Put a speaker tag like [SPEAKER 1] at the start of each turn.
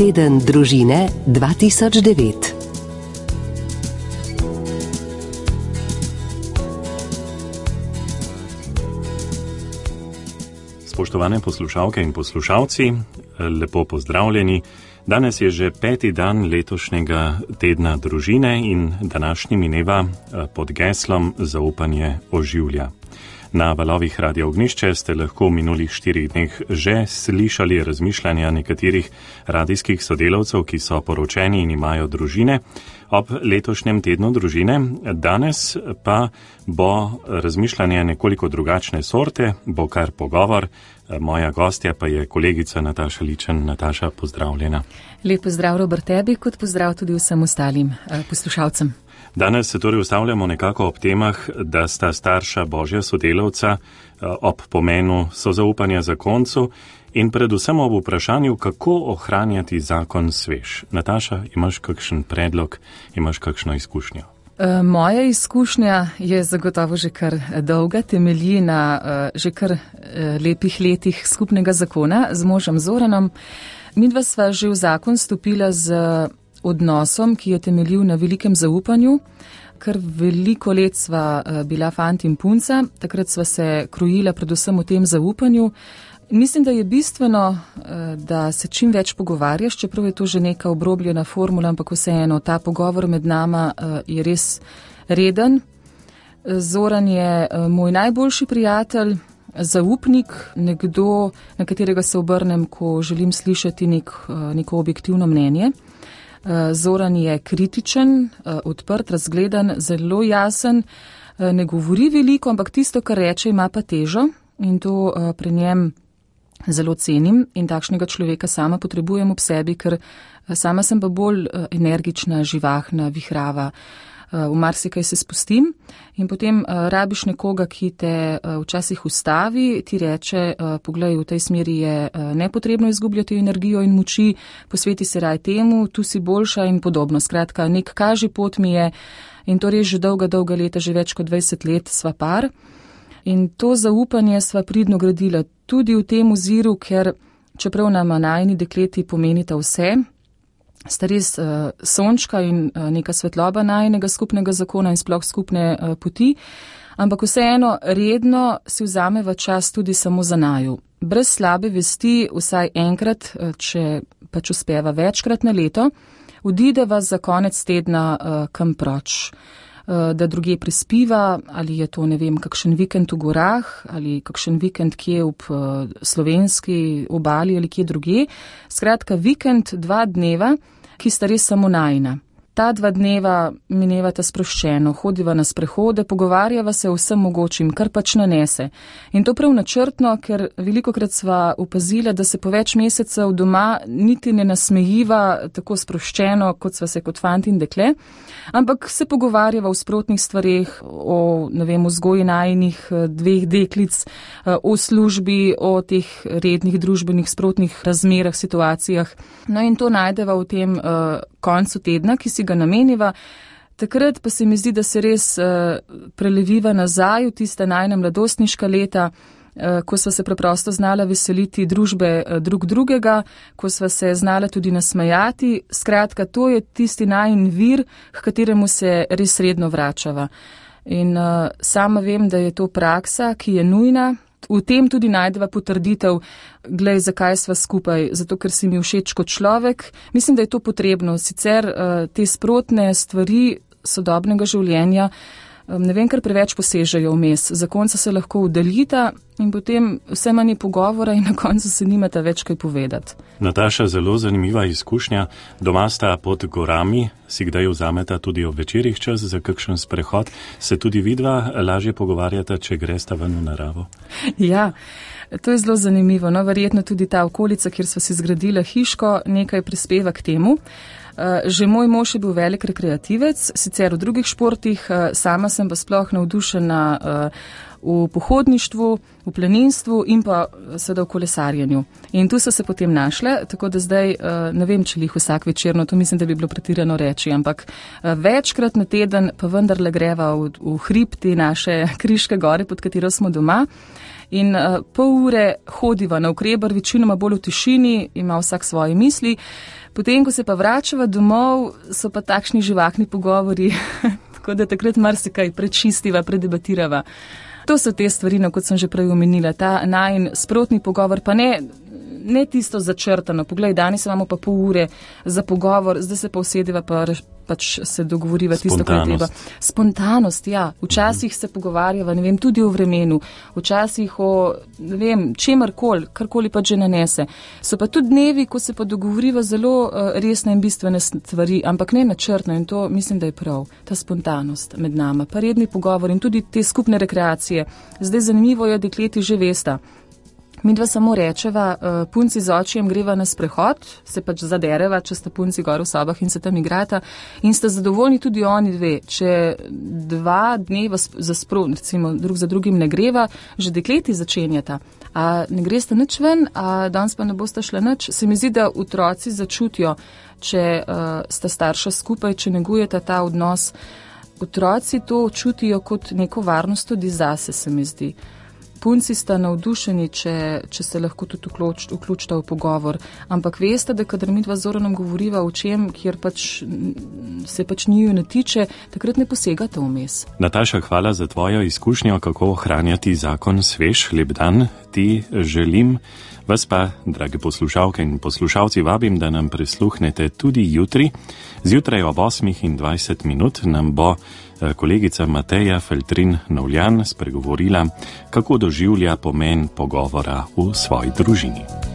[SPEAKER 1] Teden družine 2009.
[SPEAKER 2] Spoštovane poslušalke in poslušalci, lepo pozdravljeni. Danes je že 5. dan letošnjega tedna družine in današnji mineva pod geslom Zaupanje oživlja. Na valovih Radia Ognjišče ste lahko v minulih 4 dneh že slišali razmišljanja nekaterih radijskih sodelavcev, ki so poročeni in imajo družine ob letošnjem tednu družine. Danes pa bo razmišljanje nekoliko drugačne sorte, bo kar pogovor. Moja gostja pa je kolegica Nataša Ličen. Nataša, pozdravljena.
[SPEAKER 3] Lep pozdrav, Robert, tebi, kot pozdrav tudi vsem ostalim poslušalcem.
[SPEAKER 2] Danes se torej ustavljamo nekako ob temah, da sta starša Božja sodelavca, ob pomenu sozaupanja zakoncu in predvsem ob vprašanju, kako ohranjati zakon svež. Nataša, imaš kakšen predlog, imaš kakšno izkušnjo?
[SPEAKER 3] Moja izkušnja je zagotovo že kar dolga, temelji na že kar lepih letih skupnega zakona z možem Zoranom. Midva sva že v zakon stopila z odnosom, ki je temeljil na velikem zaupanju. Kar veliko let sva bila fant in punca, takrat sva se krojila predvsem v tem zaupanju. Mislim, da je bistveno, da se čim več pogovarjaš, čeprav je to že neka obrobljena formula, ampak vseeno, ta pogovor med nama je res reden. Zoran je moj najboljši prijatelj, zaupnik, nekdo, na katerega se obrnem, ko želim slišati neko objektivno mnenje. Zoran je kritičen, odprt, razgledan, zelo jasen, ne govori veliko, ampak tisto, kar reče, ima pa težo in to pri njem zelo cenim in takšnega človeka sama potrebujem ob sebi, ker sama sem pa bolj energična, živahna, vihrava. V marsikaj se spustim in potem rabiš nekoga, ki te včasih ustavi, ti reče, poglej, v tej smeri je nepotrebno izgubljati energijo in moči, posveti se raj temu, tu si boljša in podobno. Skratka, nek kaži pot mi je in to res že dolga leta, že več kot 20 let sva par. In to zaupanje sva pridno gradila tudi v tem oziru, ker čeprav nama najini dekleti pomenita vse, sta res sončka in neka svetloba najinega skupnega zakona in sploh skupne poti, ampak vseeno redno si vzameva čas tudi samo za naju. Brez slabe vesti vsaj enkrat, če pač uspeva večkrat na leto, odideva za konec tedna kam proč, da drugje prispiva, ali je to, ne vem, kakšen vikend v gorah, ali kakšen vikend kje ob slovenski obali ali kje drugje. Skratka, vikend 2 dneva, ki sta res samo najina. Ta 2 dneva minevata sproščeno, hodiva na sprehode, pogovarjava se o vsem mogočim, kar pač nanese. In to prav načrtno, ker velikokrat sva opazila, da se po več mesecev doma niti ne nasmejiva tako sproščeno, kot sva se kot fant in dekle, ampak se pogovarjava o sprotnih stvareh, o, ne vem, vzgoji najinih 2 deklic, o službi, o teh rednih družbenih sprotnih razmerah, situacijah. No in to najdeva v tem koncu tedna, ki si ga nameniva. Takrat pa se mi zdi, da se res preleviva nazaj v tiste najina mladostniška leta, ko sva se preprosto znala veseliti družbe drug drugega, ko sva se znala tudi nasmejati. Skratka, to je tisti najin vir, k kateremu se res redno vračava. In sama vem, da je to praksa, ki je nujna. V tem tudi najdeva potrditev, glej, zakaj sva skupaj, zato ker si mi všeč kot človek. Mislim, da je to potrebno, sicer te sprotne stvari sodobnega življenja, ne vem, kar preveč posežejo vmes. Zakonca se lahko udalita in potem vse manj pogovora in na koncu se nimata več kaj povedati.
[SPEAKER 2] Nataša, zelo zanimiva izkušnja. Doma sta pod gorami, si kdaj vzameta tudi ob večerih čas za kakšen sprehod? Se tudi vidva lažje pogovarjata, če gresta ven v naravo?
[SPEAKER 3] Ja, to je zelo zanimivo. No, verjetno tudi ta okolica, kjer sva si zgradila hiško, nekaj prispeva k temu. Že moj mož je bil velik rekreativec, sicer v drugih športih, sama sem pa sploh navdušena v pohodništvu, v planinstvu in pa seveda v kolesarjenju. In tu so se potem našle, tako da zdaj ne vem, če jih vsak večerno, to mislim, da bi bilo pretirano reči, ampak večkrat na teden pa vendarle greva v hrib te naše Kriške gore, pod katero smo doma. In pol ure hodiva na Ukrebar, večinoma bolj v tišini, ima vsak svoje misli. Potem, ko se pa vračava domov, so pa takšni živahni pogovori, tako da takrat marsikaj prečistiva, predebatirava. To so te stvari, kot sem že prej omenila, ta najin sprotni pogovor, pa ne tisto začrtano. Poglej, danes imamo pa pol ure za pogovor, zdaj se pa usedeva, pa pač se dogovoriva tisto, kar je treba. Spontanost, ja. Včasih se pogovarjava, ne vem, tudi o vremenu, včasih o, ne vem, čemarkoli, karkoli pa že nanese. So pa tudi dnevi, ko se pa dogovoriva zelo resne in bistvene stvari, ampak ne načrtno, in to mislim, da je prav, ta spontanost med nama, pa redni pogovor in tudi te skupne rekreacije. Zdaj zanimivo je, dekleti že vesta. Mi dva samo rečeva, punci z očijem greva na sprehod, se pač zadereva, če sta punci gor v sobah in se tam igrata in sta zadovoljni tudi oni dve. Če 2 dneva recimo drug za drugim ne greva, že dekleti začenjata. A ne greste nič ven, a danes pa ne boste šla nič. Se mi zdi, da otroci začutijo, če sta starša skupaj, če negujeta ta odnos. Otroci to čutijo kot neko varnost tudi zase, se mi zdi. Punci sta navdušeni, če se lahko tudi vključita v pogovor, ampak veste, da kadar mi dva z Zoranom govoriva o čem, kjer se pač njiju ne tiče, takrat ne posegate vmes.
[SPEAKER 2] Nataša, hvala za tvojo izkušnjo, kako ohranjati zakon svež. Lep dan ti želim. Vas pa, drage poslušalke in poslušalci, vabim, da nam prisluhnete tudi jutri. Zjutraj ob 8:20 nam bo kolegica Mateja Feltrin-Novljan spregovorila, kako doživlja pomen pogovora v svoji družini.